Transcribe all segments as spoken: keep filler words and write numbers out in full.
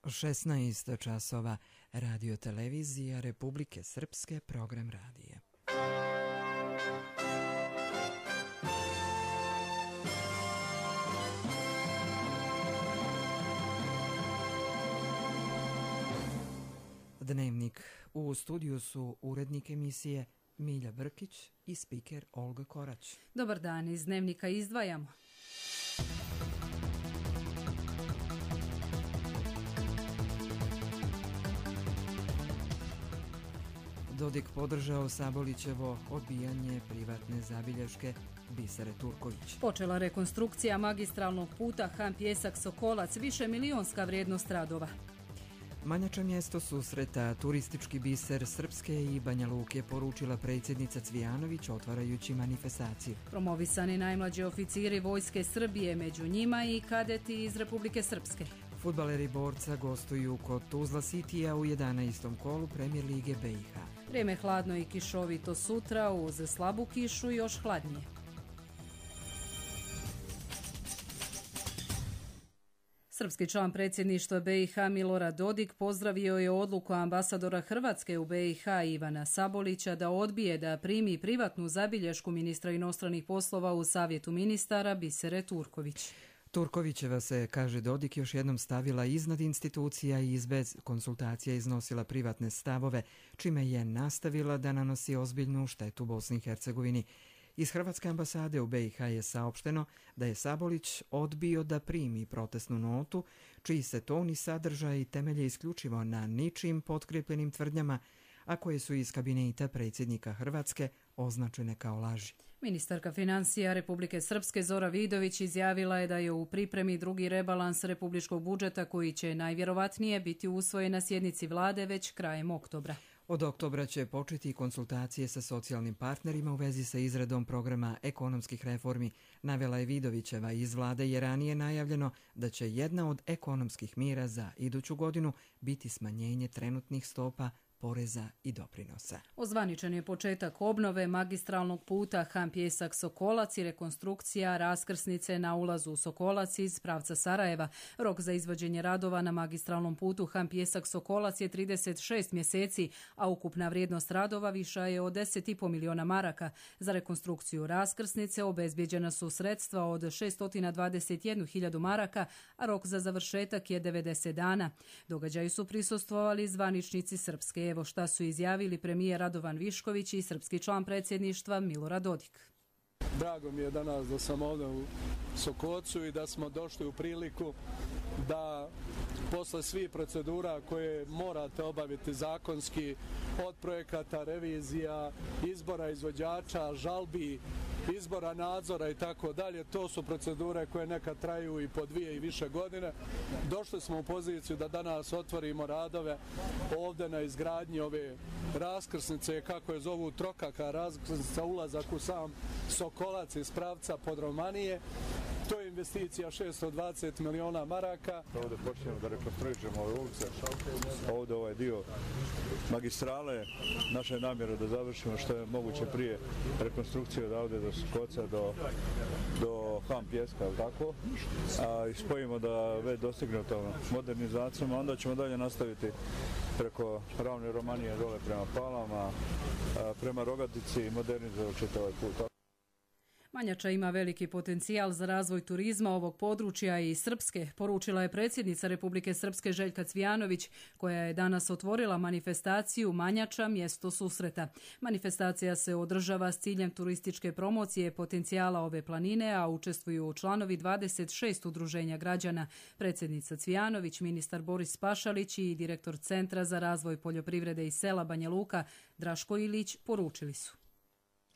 šesnaest časova, Radio Televizija Republike Srpske, program radije. Dnevnik. U studiju su urednik emisije Milja Brkić i spiker Olga Korać. Dobar dan, iz Dnevnika izdvajamo. Dodik podržao Sabolićevo odbijanje privatne zabilješke Bisere Turković. Počela rekonstrukcija magistralnog puta Ham-Pjesak-Sokolac, više milionska vrijednost radova. Manjača mjesto susreta, turistički biser Srpske i Banja Luke, poručila predsjednica Cvijanović otvarajući manifestaciju. Promovisani najmlađi oficiri Vojske Srbije, među njima i kadeti iz Republike Srpske. Fudbaleri Borca gostuju kod Tuzla Citya u jedanaestom kolu Premijer Lige B i H. Vrijeme hladno i kišovito sutra, uz slabu kišu još hladnije. Srpski član predsjedništva B i H Milorad Dodik pozdravio je odluku ambasadora Hrvatske u B i H Ivana Sabolića da odbije da primi privatnu zabilješku ministra inostranih poslova u Savjetu ministara Bisere Turković. Turkovićeva se, kaže Dodik, još jednom stavila iznad institucija i bez konsultacija iznosila privatne stavove, čime je nastavila da nanosi ozbiljnu štetu Bosni i Hercegovini. Iz Hrvatske ambasade u B i H je saopšteno da je Sabolić odbio da primi protestnu notu, čiji se ton i sadržaj temelje isključivo na ničim potkrijepljenim tvrdnjama, a koje su iz kabineta predsjednika Hrvatske označene kao laži. Ministarka financija Republike Srpske Zora Vidović izjavila je da je u pripremi drugi rebalans republičkog budžeta koji će najvjerovatnije biti usvojen na sjednici vlade već krajem oktobra. Od oktobra će početi konsultacije sa socijalnim partnerima u vezi sa izradom programa ekonomskih reformi, navela je Vidovićeva. Iz vlade je ranije najavljeno da će jedna od ekonomskih mjera za iduću godinu biti smanjenje trenutnih stopa poreza i doprinosa. Ozvaničen je početak obnove magistralnog puta Ham-Pjesak-Sokolac i rekonstrukcija raskrsnice na ulazu u Sokolac iz pravca Sarajeva. Rok za izvođenje radova na magistralnom putu Ham-Pjesak-Sokolac je trideset šest mjeseci, a ukupna vrijednost radova viša je od deset i po miliona maraka. Za rekonstrukciju raskrsnice obezbjeđena su sredstva od šesto dvadeset jednu hiljadu maraka, a rok za završetak je devedeset dana. Događaju su prisustvovali zvaničnici Srpske. Evo šta su izjavili premijer Radovan Višković i srpski član predsjedništva Milorad Dodik. Drago mi je danas da sam ovdje u Sokolcu i da smo došli u priliku da posle svih procedura koje morate obaviti zakonski, od projekata, revizija, izbora izvođača, žalbi, izbora nadzora i tako dalje, to su procedure koje nekad traju i po dvije i više godine. Došli smo u poziciju da danas otvorimo radove ovdje na izgradnji ove raskrsnice, kako je zovu trokaka raskrsnica, ulazak u sam Sokolac iz pravca Podromanije. To je investicija šesto dvadeset miliona maraka. Ovdje počnemo da rekonstruišemo ove ulice, ovdje ovaj dio magistrale. Naša je namjera da završimo što je moguće prije rekonstrukciju od ovdje do Sokolca do, do Ham-Pjeska, tako? A spojimo da već dostigne to modernizacijom, a onda ćemo dalje nastaviti preko Ravne Romanije dole prema Palama, prema Rogatici i modernizovat ćete ovaj put. Manjača ima veliki potencijal za razvoj turizma ovog područja i Srpske, poručila je predsjednica Republike Srpske Željka Cvijanović, koja je danas otvorila manifestaciju Manjača mjesto susreta. Manifestacija se održava s ciljem turističke promocije potencijala ove planine, a učestvuju članovi dvadeset šest udruženja građana. Predsjednica Cvijanović, ministar Boris Pašalić i direktor Centra za razvoj poljoprivrede i sela Banja Luka Draško Ilić poručili su.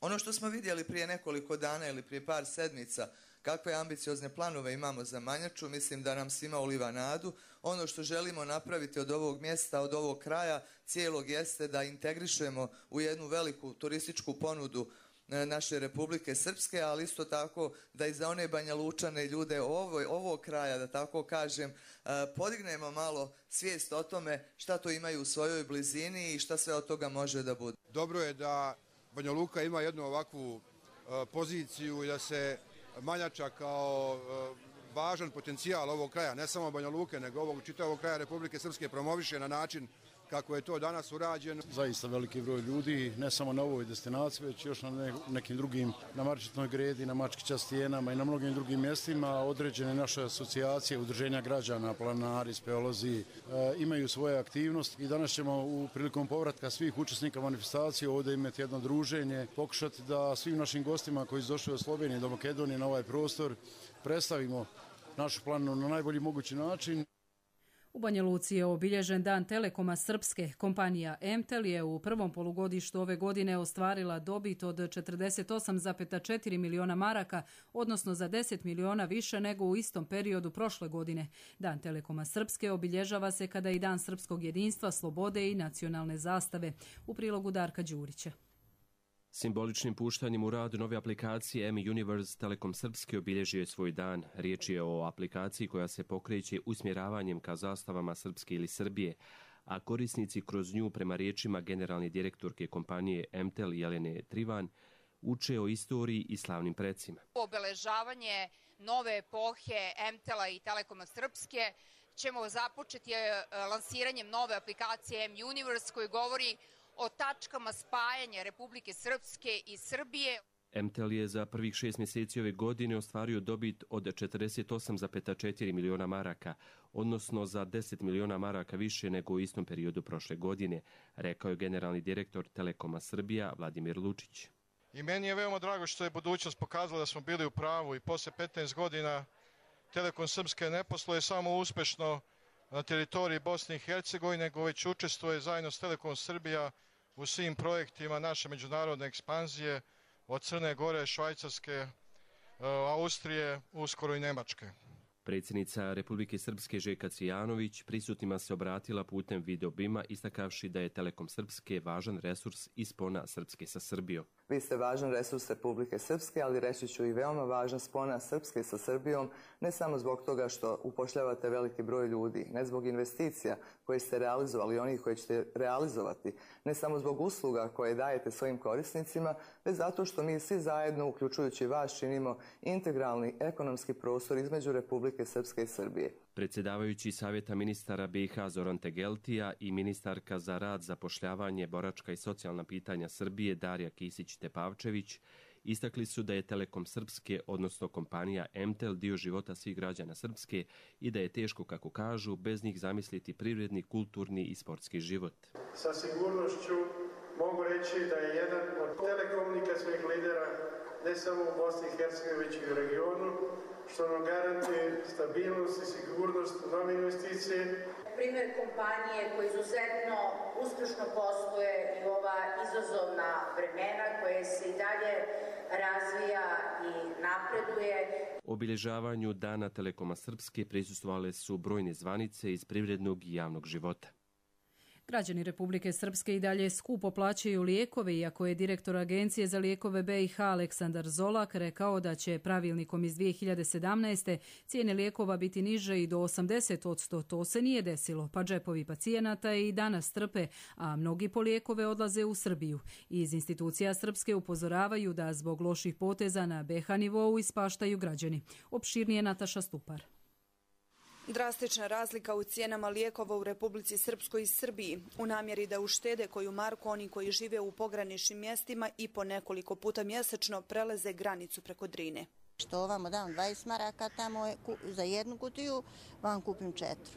Ono što smo vidjeli prije nekoliko dana ili prije par sedmica, kakve ambiciozne planove imamo za Manjaču, mislim da nam svima uliva nadu. Ono što želimo napraviti od ovog mjesta, od ovog kraja cijelog, jeste da integrišemo u jednu veliku turističku ponudu naše Republike Srpske, ali isto tako da i za one Banja Lučane ljude ovog, ovog kraja, da tako kažem, podignemo malo svijest o tome šta to imaju u svojoj blizini i šta sve od toga može da bude. Dobro je da Banja Luka ima jednu ovakvu uh, poziciju i da se Manjača kao uh, važan potencijal ovog kraja, ne samo Banja Luke, nego ovog čitavog kraja Republike Srpske promoviše na način kako je to danas urađeno. Zaista veliki broj ljudi, ne samo na ovoj destinaciji, već još na nekim drugim, na Marčetnoj gredi, na Mačkića stijenama i na mnogim drugim mjestima. Određene naše asocijacije, udruženja građana, planari, speolozi, e, imaju svoje aktivnosti i danas ćemo u prilikom povratka svih učesnika manifestacije ovdje imati jedno druženje, pokušati da svim našim gostima koji su došli od Slovenije do Makedonije na ovaj prostor predstavimo našu planu na najbolji mogući način. U Banja Luci je obilježen dan Telekoma Srpske. Kompanija M T E L je u prvom polugodištu ove godine ostvarila dobit od četrdeset osam zarez četiri miliona maraka, odnosno za deset miliona više nego u istom periodu prošle godine. Dan Telekoma Srpske obilježava se kada i Dan srpskog jedinstva, slobode i nacionalne zastave. U prilogu Darka Đurića. Simboličnim puštanjem u rad nove aplikacije M-Universe Telekom Srpske obilježio je svoj dan. Riječ je o aplikaciji koja se pokreće usmjeravanjem ka zastavama Srpske ili Srbije, a korisnici kroz nju, prema riječima generalne direktorke kompanije M T E L Jelene Trivan, uče o istoriji i slavnim precima. Obeležavanje nove epohe M T E L-a i Telekoma Srpske ćemo započeti lansiranjem nove aplikacije M-Universe koji govori o tačkama spajanja Republike Srpske i Srbije. M T E L je za prvih šest mjeseci ove godine ostvario dobit od četrdeset osam zarez četiri miliona maraka, odnosno za deset miliona maraka više nego u istom periodu prošle godine, rekao je generalni direktor Telekoma Srbija Vladimir Lučić. I meni je veoma drago što je budućnost pokazala da smo bili u pravu i posle petnaest godina Telekom Srpske ne posluje samo uspešno na teritoriji Bosne i Hercegovine, nego već učestvuje zajedno s Telekom Srbija u svim projektima naše međunarodne ekspanzije od Crne Gore, Švajcarske, Austrije, uskoro i Nemačke. Predsjednica Republike Srpske Željka Cvijanović prisutnima se obratila putem videobima, istakavši da je Telekom Srpske važan resurs i spona Srpske sa Srbijom. Vi ste važan resurs Republike Srpske, ali reći ću i veoma važan spona Srpske sa Srbijom, ne samo zbog toga što upošljavate veliki broj ljudi, ne zbog investicija koje ste realizovali i onih koje ćete realizovati, ne samo zbog usluga koje dajete svojim korisnicima, već zato što mi svi zajedno, uključujući vas, činimo integralni ekonomski prostor između Republike Srpske i Srbije. Predsjedavajući Savjeta ministara B i H Zoran Tegeltija i ministarka za rad, zapošljavanje, boračka i socijalna pitanja Srbije Darija Kisić-Tepavčević istakli su da je Telekom Srpske, odnosno kompanija M T E L, dio života svih građana Srpske i da je teško, kako kažu, bez njih zamisliti privredni, kulturni i sportski život. Sa sigurnošću mogu reći da je jedan od telekomunikacijskih lidera ne samo u Bosni i Hercegovini, već i u regionu, što nam garantuje stabilnost i sigurnost nove investicije. Primjer kompanije koji izuzetno uspješno posluje i ova izazovna vremena koje se i dalje razvija i napreduje. Obilježavanju Dana Telekoma Srpske prisustvovale su brojne zvanice iz privrednog i javnog života. Građani Republike Srpske i dalje skupo plaćaju lijekove, iako je direktor Agencije za lijekove B i H Aleksandar Zolak rekao da će pravilnikom iz dvije hiljade sedamnaeste. cijene lijekova biti niže i do osamdeset posto. To se nije desilo, pa džepovi pacijenata i danas trpe, a mnogi po lijekove odlaze u Srbiju. Iz institucija Srpske upozoravaju da zbog loših poteza na B H nivou ispaštaju građani. Opširnije Nataša Stupar. Drastična razlika u cijenama lijekova u Republici Srpskoj i Srbiji u namjeri da uštede koju marku oni koji žive u pograničnim mjestima i po nekoliko puta mjesečno preleze granicu preko Drine. Što ovamo dam dvadeset maraka tamo je, za jednu kutiju, vam kupim četiri.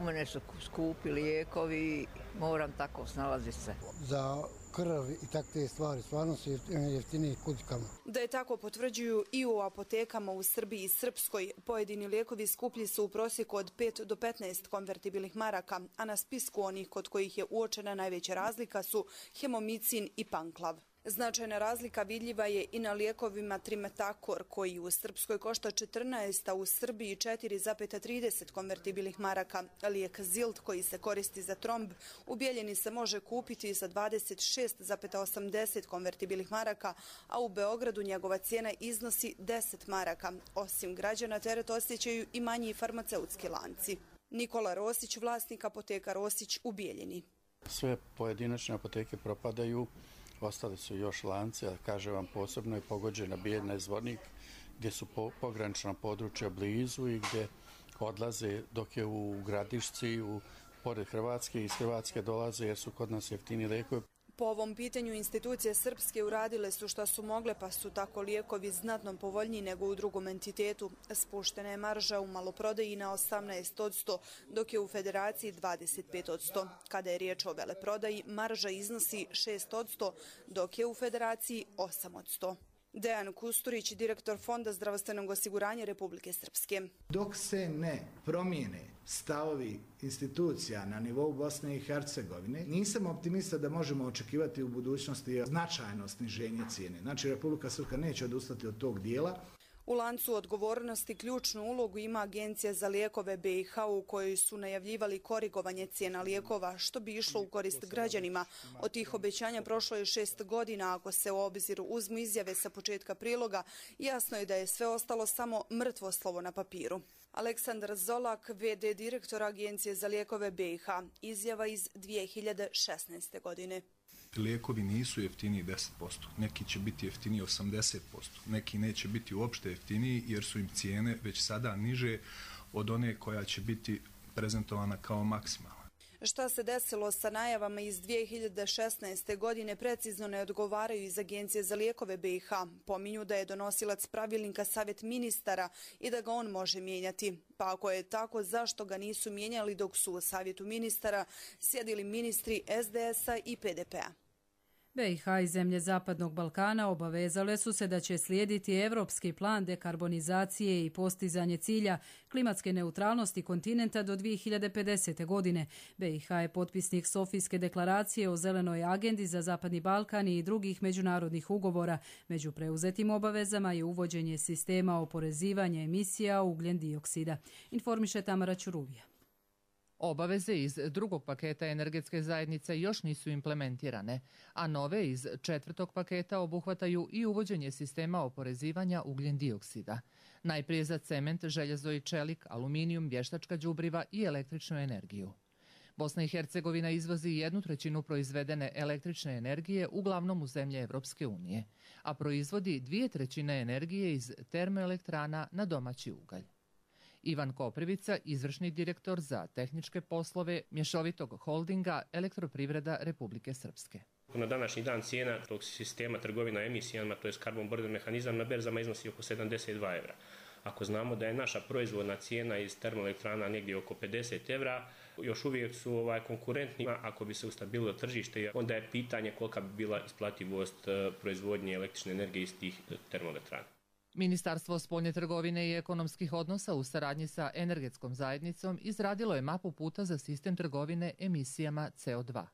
U mene su skupi lijekovi, moram tako snalaziti se. Za krv i takve stvari, stvarno su jeftiniji kudikama. Da je tako potvrđuju i u apotekama u Srbiji i Srpskoj. Pojedini lijekovi skuplji su u prosjeku od pet do petnaest konvertibilnih maraka, a na spisku onih kod kojih je uočena najveća razlika su hemomicin i panklav. Značajna razlika vidljiva je i na lijekovima Trimetakor, koji u Srpskoj košta četrnaest, a u Srbiji četiri zarez trideset konvertibilnih maraka. Lijek Zilt, koji se koristi za tromb, u Bijeljini se može kupiti za dvadeset šest zarez osamdeset konvertibilnih maraka, a u Beogradu njegova cijena iznosi deset maraka. Osim građana, teret osjećaju i manji farmaceutski lanci. Nikola Rosić, vlasnik apoteka Rosić u Bijeljini. Sve pojedinačne apoteke propadaju. Ostali su još lanci, a kaže vam posebno je pogođena Bijeljina i Zvornik, gdje su po, pogranična područja blizu i gdje odlaze, dok je u Gradišci, u, pored Hrvatske, iz Hrvatske dolaze jer su kod nas jeftini lijekovi. Po ovom pitanju institucije srpske uradile su šta su mogle, pa su tako lijekovi znatno povoljniji nego u drugom entitetu. Spuštena je marža u maloprodaji na osamnaest posto, dok je u federaciji dvadeset pet posto. Kada je riječ o veleprodaji, marža iznosi šest posto, dok je u federaciji osam posto. Dejan Kusturić, direktor Fonda zdravstvenog osiguranja Republike Srpske. Dok se ne promijene stavovi institucija na nivou Bosne i Hercegovine, nisam optimista da možemo očekivati u budućnosti značajno sniženje cijene. Znači, Republika Srpska neće odustati od tog dijela. U lancu odgovornosti ključnu ulogu ima Agencija za lijekove B i H u kojoj su najavljivali korigovanje cijena lijekova, što bi išlo u korist građanima. Od tih obećanja prošlo je šest godina, ako se u obzir uzmu izjave sa početka priloga, jasno je da je sve ostalo samo mrtvo slovo na papiru. Aleksandar Zolak, ve de direktor Agencije za lijekove B i H, izjava iz dvije hiljade šesnaeste. godine. Lijekovi nisu jeftiniji deset posto, neki će biti jeftiniji osamdeset posto, neki neće biti uopšte jeftiniji jer su im cijene već sada niže od one koja će biti prezentovana kao maksimalna. Šta se desilo sa najavama iz dvije hiljade šesnaeste. godine precizno ne odgovaraju iz Agencije za lijekove B i H. Pominju da je donosilac pravilnika Savjet ministara i da ga on može mijenjati. Pa ako je tako, zašto ga nisu mijenjali dok su u Savjetu ministara sjedili ministri es de esa i pe de pea? be i ha i zemlje Zapadnog Balkana obavezale su se da će slijediti evropski plan dekarbonizacije i postizanje cilja klimatske neutralnosti kontinenta do dvije hiljade pedesete. godine. be i ha je potpisnik Sofijske deklaracije o zelenoj agendi za Zapadni Balkan i drugih međunarodnih ugovora. Među preuzetim obavezama je uvođenje sistema oporezivanja emisija ugljen dioksida. Informiše Tamara Ćuruvija. Obaveze iz drugog paketa energetske zajednice još nisu implementirane, a nove iz četvrtog paketa obuhvataju i uvođenje sistema oporezivanja ugljen dioksida. Najprije za cement, željezo i čelik, aluminijum, vještačka đubriva i električnu energiju. Bosna i Hercegovina izvozi jednu trećinu proizvedene električne energije uglavnom u zemlje Evropske unije, a proizvodi dvije trećine energije iz termoelektrana na domaći ugalj. Ivan Koprivica, izvršni direktor za tehničke poslove mješovitog holdinga Elektroprivreda Republike Srpske. Na današnji dan cijena tog sistema trgovina emisijama, to je carbon border mehanizam, na berzama iznosi oko sedamdeset dva evra. Ako znamo da je naša proizvodna cijena iz termoelektrana negdje oko pedeset evra, još uvijek su ovaj, konkurentni. Ako bi se ustabililo tržište, onda je pitanje kolika bi bila isplativost proizvodnje električne energije iz tih termoelektrana. Ministarstvo spoljne trgovine i ekonomskih odnosa u saradnji sa energetskom zajednicom izradilo je mapu puta za sistem trgovine emisijama ce o dva.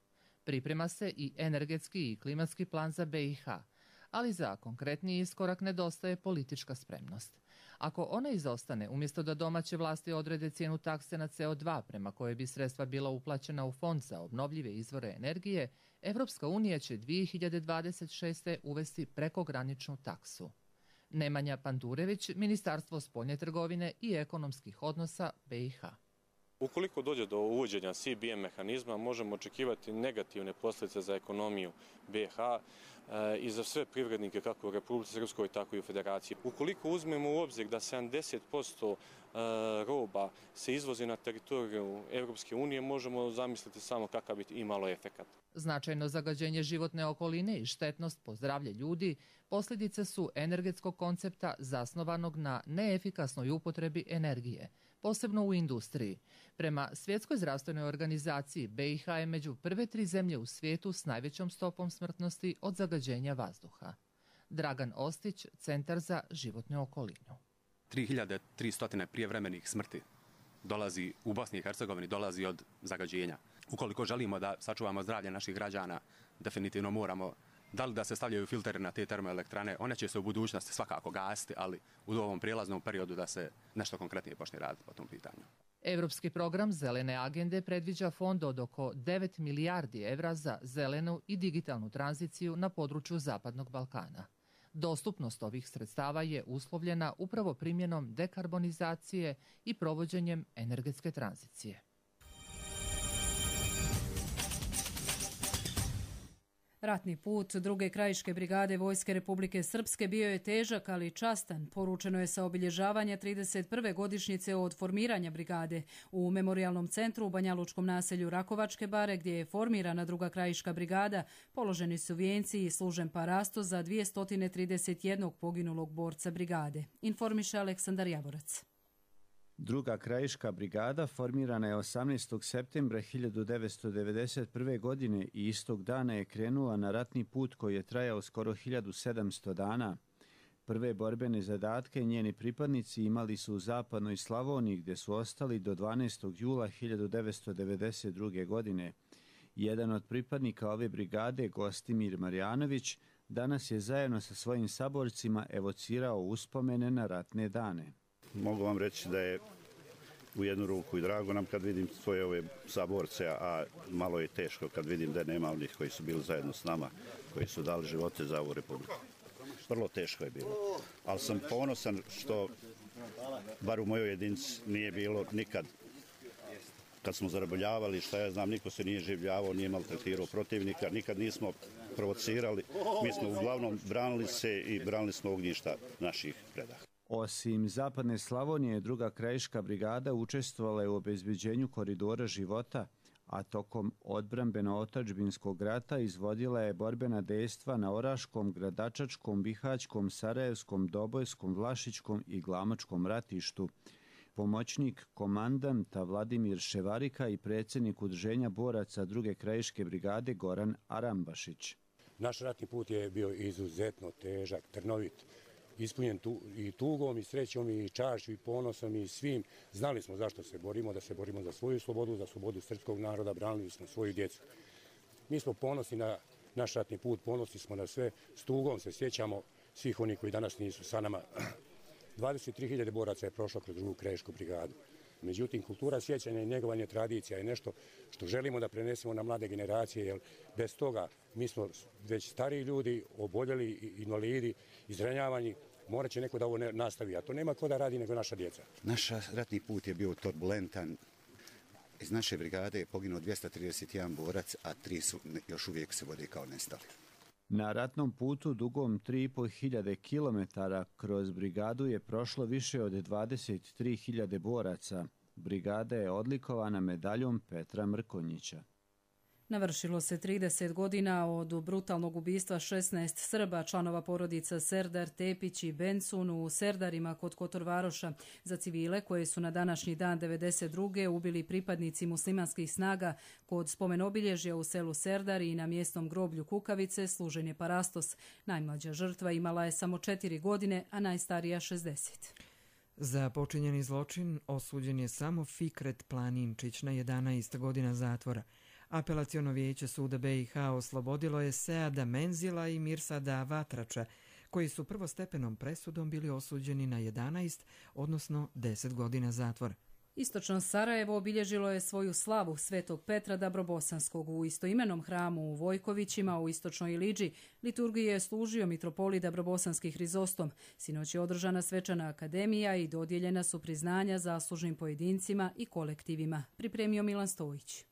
Priprema se i energetski i klimatski plan za be i ha, ali za konkretniji iskorak nedostaje politička spremnost. Ako ona izostane, umjesto da domaće vlasti odrede cijenu takse na ce o dva prema kojoj bi sredstva bila uplaćena u fond za obnovljive izvore energije, Evropska unija će dvije hiljade dvadeset šeste. uvesti prekograničnu taksu. Nemanja Pandurević, Ministarstvo spoljne trgovine i ekonomskih odnosa be i ha. Ukoliko dođe do uvođenja ce be em mehanizma, možemo očekivati negativne posljedice za ekonomiju be i ha e, i za sve privrednike kako u Republici Srpskoj, tako i u Federaciji. Ukoliko uzmemo u obzir da sedamdeset posto roba se izvozi na teritoriju Evropske unije, možemo zamisliti samo kakav bi imalo efekat. Značajno zagađenje životne okoline i štetnost po zdravlje ljudi posljedice su energetskog koncepta zasnovanog na neefikasnoj upotrebi energije, posebno u industriji. Prema Svjetskoj zdravstvenoj organizaciji, be i ha je među prve tri zemlje u svijetu s najvećom stopom smrtnosti od zagađenja vazduha. Dragan Ostić, Centar za životnu okolinu. tri hiljade tristo prijevremenih smrti dolazi u Bosni i Hercegovini, dolazi od zagađenja. Ukoliko želimo da sačuvamo zdravlje naših građana, definitivno moramo, da li da se stavljaju filteri na te termoelektrane, one će se u budućnosti svakako gasiti, ali u ovom prijelaznom periodu da se nešto konkretnije počne raditi po tom pitanju. Evropski program Zelene agende predviđa fond od oko devet milijardi evra za zelenu i digitalnu tranziciju na području Zapadnog Balkana. Dostupnost ovih sredstava je uslovljena upravo primjenom dekarbonizacije i provođenjem energetske tranzicije. Ratni put druge krajiške brigade Vojske Republike Srpske bio je težak, ali častan. Poručeno je sa obilježavanja trideset prve godišnjice od formiranja brigade. U memorijalnom centru u banjalučkom naselju Rakovačke bare, gdje je formirana druga krajiška brigada, položeni su vijenci i služen parasto za dvjesto trideset jedan poginulog borca brigade. Informiše Aleksandar Javorac. Druga krajiška brigada formirana je osamnaestog septembra hiljadu devetsto devedeset prve. godine i istog dana je krenula na ratni put koji je trajao skoro hiljadu sedamsto dana. Prve borbene zadatke njeni pripadnici imali su u zapadnoj Slavoniji, gdje su ostali do dvanaestog jula hiljadu devetsto devedeset druge. godine. Jedan od pripadnika ove brigade, Gostimir Marjanović, danas je zajedno sa svojim saborcima evocirao uspomene na ratne dane. Mogu vam reći da je u jednu ruku i drago nam kad vidim svoje ove saborce, a malo je teško kad vidim da nema onih koji su bili zajedno s nama, koji su dali živote za ovu republiku. Vrlo teško je bilo, ali sam ponosan što, bar u mojoj jedinici, nije bilo nikad kad smo zarobljavali, šta ja znam, niko se nije življavao, nije maltretirao protivnika, nikad nismo provocirali, mi smo uglavnom branili se i branili smo ognjišta naših predaha. Osim zapadne Slavonije, druga krajiška brigada učestvovala je u obezbeđenju koridora života, a tokom odbrambeno-otadžbinskog rata izvodila je borbena dejstva na Oraškom, Gradačačkom, Bihaćkom, Sarajevskom, Dobojskom, Vlašićkom i Glamočkom ratištu. Pomoćnik komandanta Vladimir Ševarika i predsjednik udruženja boraca druge krajiške brigade Goran Arambašić. Naš ratni put je bio izuzetno težak, trnovit, ispunjen tu, i tugom, i srećom, i čašću, i ponosom, i svim. Znali smo zašto se borimo, da se borimo za svoju slobodu, za slobodu srpskog naroda, branili smo svoju djecu. Mi smo ponosni na naš ratni put, ponosni smo na sve, s tugom se sjećamo svih onih koji danas nisu sa nama. dvadeset tri hiljade boraca je prošlo kroz drugu krajišku brigadu. Međutim, kultura sjećanja i njegovanje tradicija je nešto što želimo da prenesemo na mlade generacije, jer bez toga mi smo već stariji ljudi, oboljeli, invalidi, izranjavani, morat će neko da ovo nastavi, a to nema ko da radi nego naša djeca. Naš ratni put je bio turbulentan. Iz naše brigade je poginuo dvjesto trideset jedan borac, a tri su još uvijek se vode kao nestali. Na ratnom putu dugom tri i po hiljade kilometara kroz brigadu je prošlo više od dvadeset tri hiljade boraca. Brigada je odlikovana medaljom Petra Mrkonjića. Navršilo se trideset godina od brutalnog ubistva šesnaest Srba, članova porodica Serdar, Tepić i Bencun u Serdarima kod Kotorvaroša, za civile koje su na današnji dan devedeset druge ubili pripadnici muslimanskih snaga kod spomenobilježja u selu Serdar i na mjesnom groblju Kukavice služen je parastos. Najmlađa žrtva imala je samo četiri godine, a najstarija šezdeset. Za počinjeni zločin osuđen je samo Fikret Planinčić na jedanaest godina zatvora. Apelaciono vijeće suda B i H oslobodilo je Seada Menzila i Mirsada Vatrača, koji su prvostepenom presudom bili osuđeni na jedanaest, odnosno deset godina zatvora. Istočno Sarajevo obilježilo je svoju slavu Svetog Petra Dabrobosanskog u istoimenom hramu u Vojkovićima u istočnoj Iliđi. Liturgiji je služio mitropolij Dabrobosanski Hrizostom. Sinoć je održana svečana akademija i dodijeljena su priznanja zaslužnim pojedincima i kolektivima. Pripremio Milan Stojić.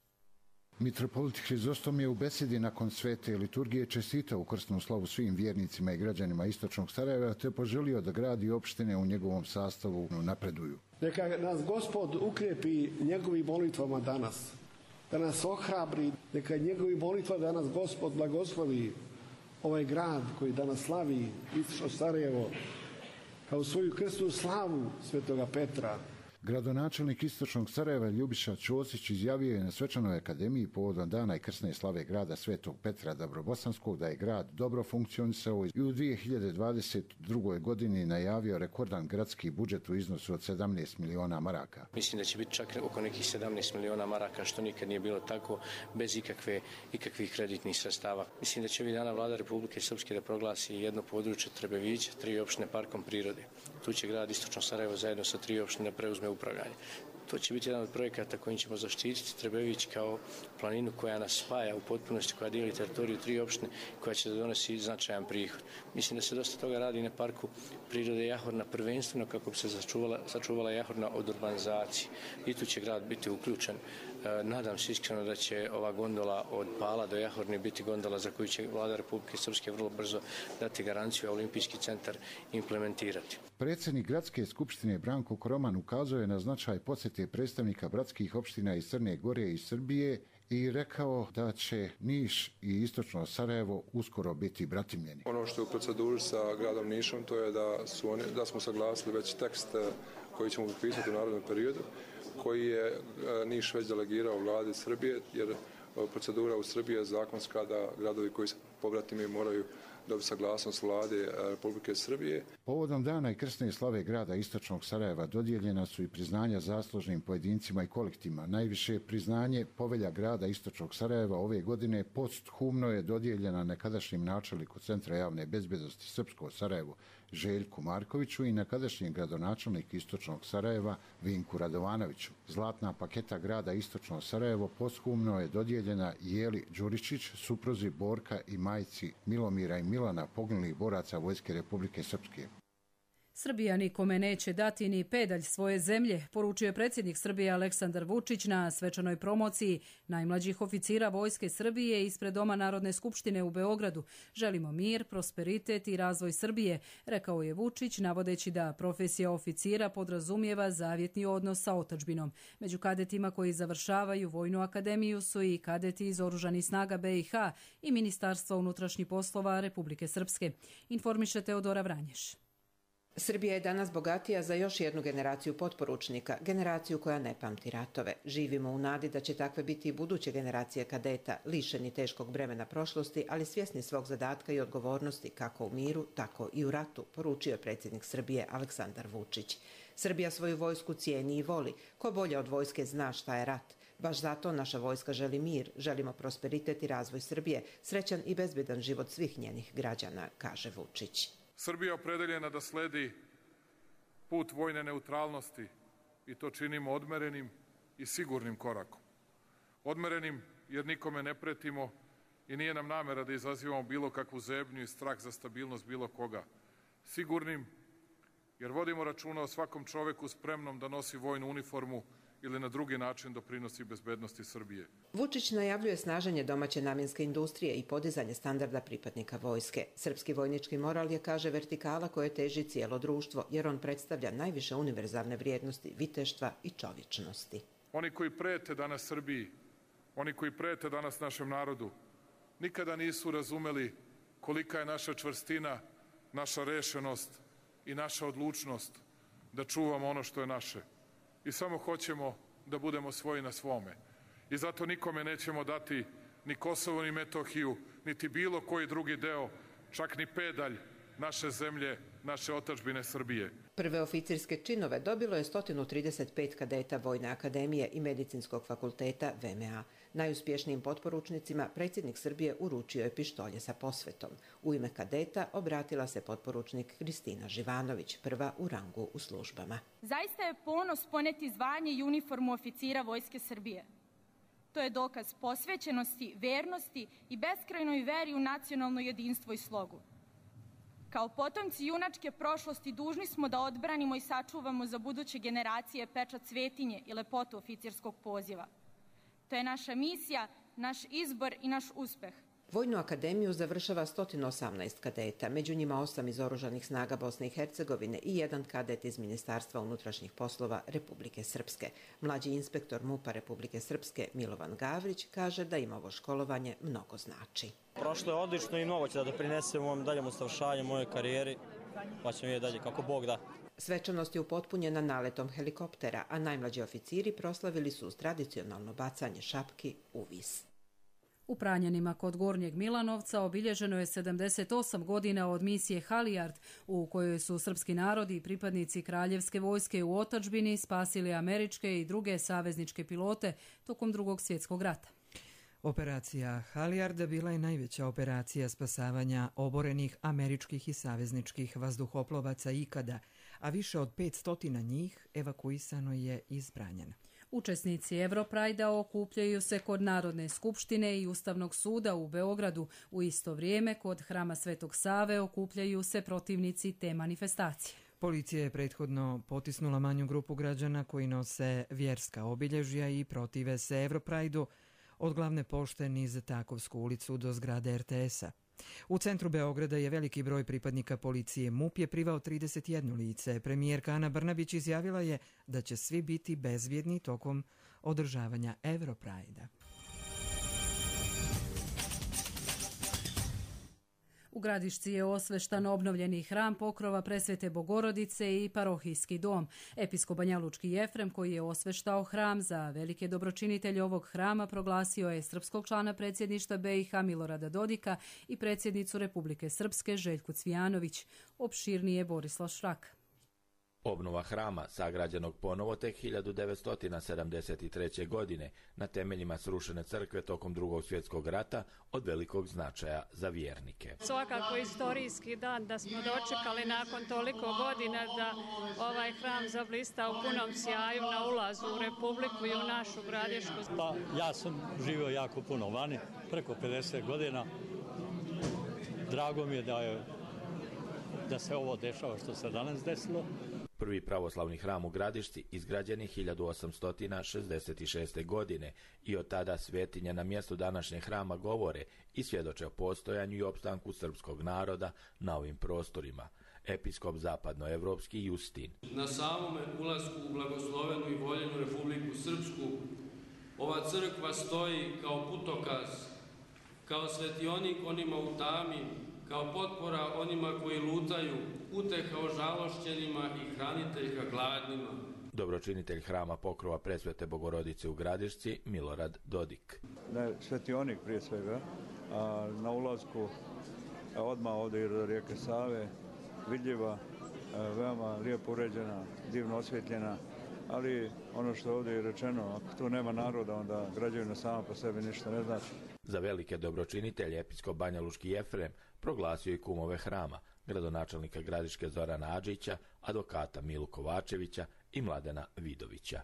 Mitropolit Hrizostom je u besedi nakon svete liturgije čestitao u krsnu slavu svim vjernicima i građanima istočnog Sarajeva te poželio da grad i opštine u njegovom sastavu napreduju. Neka nas Gospod ukrijepi njegovim molitvama danas, da nas ohrabri, neka njegovim molitvama danas Gospod blagoslovi ovaj grad koji danas slavi istočno Sarajevo kao svoju krsnu slavu Svetoga Petra. Gradonačelnik istočnog Sarajeva Ljubiša Ćosić izjavio je na svečanoj akademiji povodom dana i krsne slave grada Svetog Petra Dabrobosanskog da je grad dobro funkcionisao i u dvije hiljade dvadeset drugoj. godini najavio rekordan gradski budžet u iznosu od sedamnaest miliona maraka. Mislim da će biti čak oko nekih sedamnaest miliona maraka, što nikad nije bilo tako, bez ikakve, ikakvih kreditnih sredstava. Mislim da će ovih dana vlada Republike Srpske da proglasi jedno područje Trebevića, tri opštine parkom prirode. Tu će grad istočno Sarajevo zajedno sa tri opštine preuzme upravljanje. To će biti jedan od projekata kojim ćemo zaštititi Trebević kao planinu koja nas spaja u potpunosti, koja dijeli teritoriju tri opštine, koja će da donosi značajan prihod. Mislim da se dosta toga radi na parku prirode Jahorna prvenstveno kako bi se sačuvala, sačuvala Jahorna od urbanizacije. I tu će grad biti uključen. E, nadam se iskreno da će ova gondola od Pala do Jahorne biti gondola za koju će vlada Republike Srpske vrlo brzo dati garanciju, a Olimpijski centar implementirati. Predsjednik Gradske skupštine Branko Koroman ukazao je na značaj posjete predstavnika bratskih opština iz Crne Gore i Srbije i rekao da će Niš i istočno Sarajevo uskoro biti bratimljeni. Ono što je u proceduri sa gradom Nišom to je da, su oni, da smo saglasili već tekst koji ćemo potpisati u narednom periodu, koji je Niš već delegirao vladi Srbije, jer procedura u Srbiji je zakonska da gradovi koji se pobratimi moraju dobiti saglasnost vlade Republike Srbije. Povodom dana i krsne slave grada istočnog Sarajeva dodijeljena su i priznanja zaslužnim pojedincima i kolektivima. Najviše priznanje povelja grada istočnog Sarajeva ove godine posthumno je dodijeljena nekadašnjim načelniku Centra javne bezbednosti Srpsko Sarajevo Željku Markoviću i nekadašnjem gradonačelniku istočnog Sarajeva Vinku Radovanoviću. Zlatna paketa grada istočno Sarajevo posthumno je dodijeljena Jeli Đuričić, supruzi Borka i majci Milomira i Milana, poginulih boraca Vojske Republike Srpske. Srbija nikome neće dati ni pedalj svoje zemlje, poručio je predsjednik Srbije Aleksandar Vučić na svečanoj promociji najmlađih oficira Vojske Srbije ispred Doma Narodne skupštine u Beogradu. Želimo mir, prosperitet i razvoj Srbije, rekao je Vučić, navodeći da profesija oficira podrazumijeva zavjetni odnos sa otadžbinom. Među kadetima koji završavaju Vojnu akademiju su i kadeti iz Oružanih snaga B i H i Ministarstva unutrašnjih poslova Republike Srpske. Informiše Teodora Vranješ. Srbija je danas bogatija za još jednu generaciju potporučnika, generaciju koja ne pamti ratove. Živimo u nadi da će takve biti i buduće generacije kadeta, lišeni teškog bremena prošlosti, ali svjesni svog zadatka i odgovornosti kako u miru, tako i u ratu, poručio je predsjednik Srbije Aleksandar Vučić. Srbija svoju vojsku cijeni i voli. Ko bolje od vojske zna šta je rat. Baš zato naša vojska želi mir, želimo prosperitet i razvoj Srbije, srećan i bezbedan život svih njenih građana, kaže Vučić. Srbija opredeljena da sledi put vojne neutralnosti i to činimo odmerenim i sigurnim korakom. Odmerenim jer nikome ne pretimo i nije nam namera da izazivamo bilo kakvu zebnju i strah za stabilnost bilo koga. Sigurnim jer vodimo računa o svakom čoveku spremnom da nosi vojnu uniformu ili na drugi način doprinosi bezbednosti Srbije. Vučić najavljuje snaženje domaće namjenske industrije i podizanje standarda pripadnika vojske. Srpski vojnički moral je, kaže, vertikala koje teži cijelo društvo, jer on predstavlja najviše univerzalne vrijednosti viteštva i čovječnosti. Oni koji prete danas Srbiji, oni koji prete danas našem narodu, nikada nisu razumeli kolika je naša čvrstina, naša rešenost i naša odlučnost da čuvamo ono što je naše. I samo hoćemo da budemo svoji na svome. I zato nikome nećemo dati ni Kosovo, ni Metohiju, niti bilo koji drugi deo, čak ni pedalj naše zemlje, naše otadžbine Srbije. Prve oficirske činove dobilo je sto trideset pet kadeta Vojne akademije i Medicinskog fakulteta V M A. Najuspješnijim potporučnicima predsjednik Srbije uručio je pištolje sa posvetom. U ime kadeta obratila se potporučnik Kristina Živanović, prva u rangu u službama. Zaista je ponos poneti zvanje i uniformu oficira Vojske Srbije. To je dokaz posvećenosti, vernosti i beskrajnoj veri u nacionalno jedinstvo i slogu. Kao potomci junačke prošlosti dužni smo da odbranimo i sačuvamo za buduće generacije pečat svetinje i lepotu oficirskog poziva. To je naša misija, naš izbor i naš uspeh. Vojnu akademiju završava sto osamnaest kadeta, među njima osam iz Oružanih snaga Bosne i Hercegovine i jedan kadet iz Ministarstva unutrašnjih poslova Republike Srpske. Mlađi inspektor MUP-a Republike Srpske Milovan Gavrić kaže da im ovo školovanje mnogo znači. Prošlo je odlično i mnogo će da doprinesem u ovom daljem usavršavanju moje karijeri, pa ćemo vidjeti dalje kako Bog da. Svečanost je upotpunjena naletom helikoptera, a najmlađi oficiri proslavili su uz tradicionalno bacanje šapki u vis. U Pranjanima kod Gornjeg Milanovca obilježeno je sedamdeset osam godina od misije Halijard, u kojoj su srpski narodi i pripadnici kraljevske vojske u otadžbini spasili američke i druge savezničke pilote tokom Drugog svjetskog rata. Operacija Halijarda bila je najveća operacija spasavanja oborenih američkih i savezničkih vazduhoplovaca ikada, a više od petsto njih evakuisano je iz Pranjana. Učesnici Europrajda okupljaju se kod Narodne skupštine i Ustavnog suda u Beogradu. U isto vrijeme kod Hrama Svetog Save okupljaju se protivnici te manifestacije. Policija je prethodno potisnula manju grupu građana koji nose vjerska obilježja i protive se Europrajdu od glavne pošte niz Takovsku ulicu do zgrade er te es a. U centru Beograda je veliki broj pripadnika policije. MUP je privao trideset jedno lice. Premijerka Ana Brnabić izjavila je da će svi biti bezbjedni tokom održavanja Europrajda. U Gradišci je osveštan obnovljeni hram Pokrova Presvete Bogorodice i parohijski dom. Episkop Banjalučki Jefrem, koji je osveštao hram za velike dobročinitelje ovog hrama, proglasio je srpskog člana predsjedništva be i ha Milorada Dodika i predsjednicu Republike Srpske Željku Cvijanović. Opširnije Borislav Šrak. Obnova hrama, sagrađenog ponovo tek hiljadu devetsto sedamdeset treće. godine na temeljima srušene crkve tokom Drugog svjetskog rata, od velikog značaja za vjernike. Svakako istorijski dan da smo dočekali nakon toliko godina da ovaj hram zablista u punom sjaju na ulazu u Republiku i u našu Gradišku. Pa, ja sam živio jako puno vani, preko pedeset godina. Drago mi je da, je da se ovo dešava što se danas desilo. Prvi pravoslavni hram u Gradišci izgrađen je hiljadu osamsto šezdeset šeste. godine i od tada svetinje na mjestu današnjeg hrama govore i svjedoče o postojanju i opstanku srpskog naroda na ovim prostorima. Episkop zapadnoevropski Justin. Na samome ulasku u blagoslovenu i voljenu Republiku Srpsku ova crkva stoji kao putokaz, kao svetionik onima u tami, kao potpora onima koji lutaju, uteha ožalošćenima i hraniteljka gladnima. Dobročinitelj hrama Pokrova Presvete Bogorodice u Gradišci Milorad Dodik. Da je svetionik prije svega, a na ulazku odmah ovdje do rijeke Save, vidljiva, veoma lijepo uređena, divno osvjetljena, ali ono što ovdje je rečeno, ako tu nema naroda, onda građevina sama po sebi ništa ne znači. Za velike dobročinitelje episkop Banjalučki Jefrem proglasio i kumove hrama, gradonačelnika Gradiške Zorana Adžića, advokata Milu Kovačevića i Mladena Vidovića.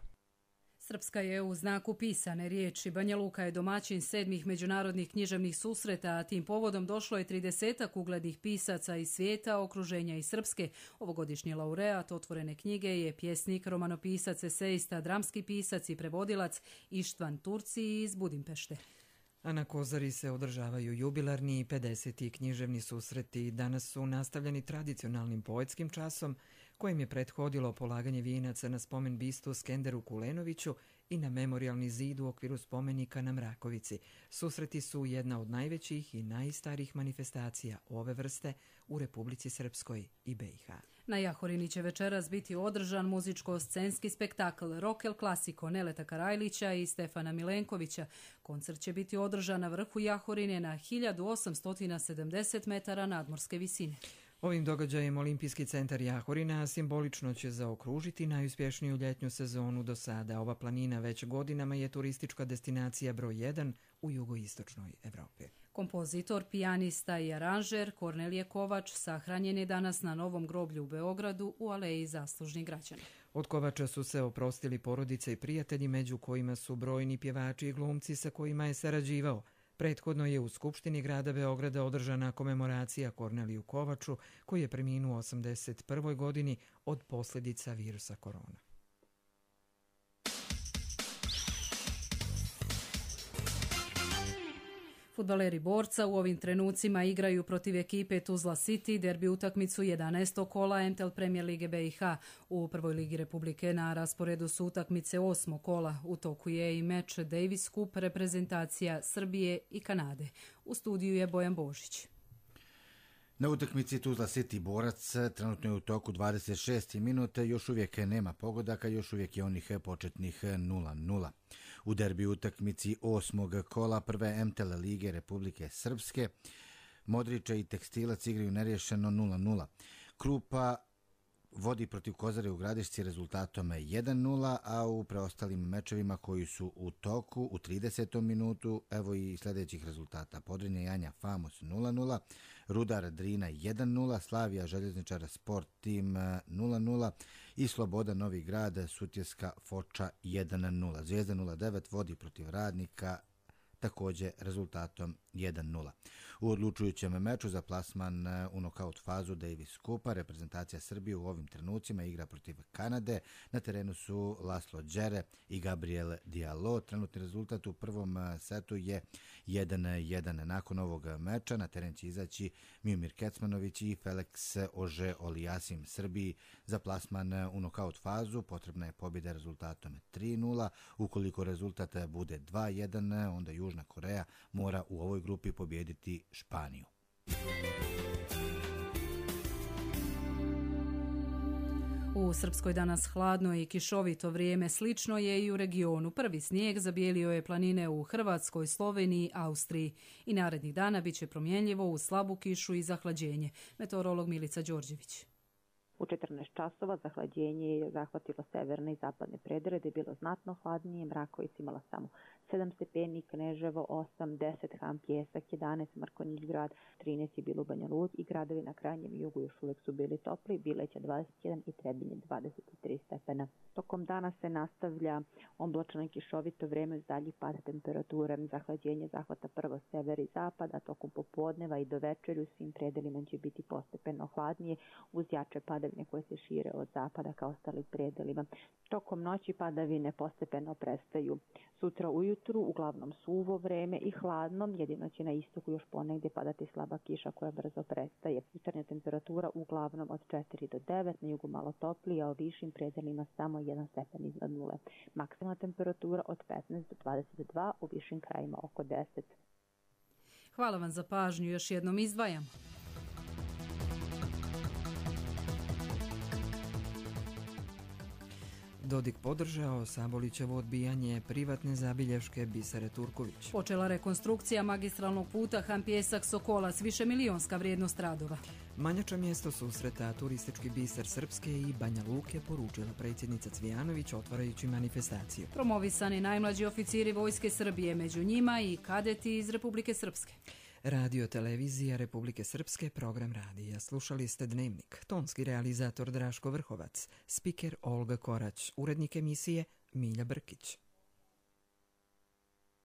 Srpska je u znaku pisane riječi. Banja Luka je domaćin sedmih međunarodnih književnih susreta, a tim povodom došlo je tridesetak uglednih pisaca iz svijeta, okruženja i Srpske. Ovogodišnji laureat otvorene knjige je pjesnik, romanopisac, esejista, dramski pisac i prevodilac Ištvan Turci iz Budimpešte. A na Kozari se održavaju jubilarni i pedeseti književni susreti. Danas su nastavljeni tradicionalnim poetskim časom, kojim je prethodilo polaganje vijenaca na spomen bistu Skenderu Kulenoviću i na memorijalni zid u okviru spomenika na Mrakovici. Susreti su jedna od najvećih i najstarijih manifestacija ove vrste u Republici Srpskoj i be i ha. Na Jahorini će večeras biti održan muzičko-scenski spektakl Rock El Clasico Neleta Karajlića i Stefana Milenkovića. Koncert će biti održan na vrhu Jahorine na hiljadu osamsto sedamdeset metara nadmorske visine. Ovim događajem Olimpijski centar Jahorina simbolično će zaokružiti najuspješniju ljetnju sezonu do sada. Ova planina već godinama je turistička destinacija broj jedan u jugoistočnoj Evropi. Kompozitor, pijanista i aranžer Kornelije Kovač sahranjen je danas na Novom groblju u Beogradu u Aleji zaslužnih građana. Od Kovača su se oprostili porodice i prijatelji, među kojima su brojni pjevači i glumci sa kojima je sarađivao. Prethodno je u Skupštini grada Beograda održana komemoracija Korneliju Kovaču, koji je preminuo u osamdeset prvoj godini od posljedica virusa korona. Fudbaleri Borca u ovim trenucima igraju protiv ekipe Tuzla City derbi utakmicu jedanaestog kola em te el Premier Lige be i ha. U prvoj ligi Republike na rasporedu su utakmice osmog kola. U toku je i meč Davis Cup reprezentacija Srbije i Kanade. U studiju je Bojan Božić. Na utakmici Tuzla City Borac trenutno je u toku dvadeset šeste minute, još uvijek nema pogodaka, još uvijek je onih početnih nula nula. U derbi utakmici osmog kola prve em te el Lige Republike Srpske Modrića i Tekstilac igraju neriješeno nula nula. Krupa vodi protiv Kozare u Gradišci rezultatom jedan nula, a u preostalim mečevima koji su u toku u tridesetom minutu, evo i sljedećih rezultata. Podrinje Janja Famos nula nula, Rudar Drina jedan nula, Slavija Željezničar Sport Tim nula nula i Sloboda Novi Grad Sutjeska Foča jedan nula. Zvijezda nula devet vodi protiv Radnika također rezultatom jedan nula. U odlučujućem meču za plasman u nokaut fazu Davis Kupa reprezentacija Srbije u ovim trenucima igra protiv Kanade. Na terenu su Laslo Đere i Gabriel Diallo. Trenutni rezultat u prvom setu je jedan jedan. Nakon ovog meča na teren će izaći Miomir Kecmanović i Felix Ože Olijasim. Srbiji za plasman u nokaut fazu potrebna je pobjeda rezultatom tri nula. Ukoliko rezultat bude dva jedan, onda Južna Koreja mora u ovoj grupi pobijediti Španiju. U Srpskoj danas hladno i kišovito vrijeme, slično je i u regionu. Prvi snijeg zabijelio je planine u Hrvatskoj, Sloveniji, Austriji i narednih dana bit će promjenljivo uz slabu kišu i zahlađenje. Meteorolog Milica Đorđević. U četrnaest časova zahlađenje je zahvatilo severne i zapadne predele, gdje je bilo znatno hladnije, Mraković imala samo sedam stepeni, Kneževo osam, deset, Han Pjesak jedanaest, Markonjić grad trinaest je bilo u Banja Luci i gradovi na krajnjem jugu još uvijek su bili topli, Bileća dvadeset jedan i Trebinje dvadeset tri stepena. Tokom dana se nastavlja oblačno i kišovito vrijeme uz dalji pad temperature. Zahlađenje zahvata prvo sever i zapad, a tokom popodneva i do večeri u svim predelima će biti postepeno hladnije uz jače padavine koje se šire od zapada ka ostalim predelima. Tokom noći padavine postepeno prestaju. Sutra ujutru uglavnom suvo vreme i hladno, jedino će na istoku još ponegdje padati slaba kiša koja brzo prestaje. Jutarnja temperatura uglavnom od četiri do devet, na jugu malo toplije, a u višim predelima samo jedan stepen iznad nule. Maksimalna temperatura od petnaest do dvadeset dva, u višim krajima oko deset. Hvala vam za pažnju, još jednom izdvajam. Dodik podržao Sabolićevo odbijanje privatne zabilješke Bisere Turković. Počela rekonstrukcija magistralnog puta Han Pjesak-Sokolac, višemilionska vrijednost radova. Manjača mjesto susreta turistički biser Srpske i Banja Luke, poručila predsjednica Cvijanović otvarajući manifestaciju. Promovisani najmlađi oficiri Vojske Srbije, među njima i kadeti iz Republike Srpske. Radio Televizija Republike Srpske, program radija. Slušali ste Dnevnik. Tonski realizator Draško Vrhovac, spiker Olga Korać, urednik emisije Milja Brkić.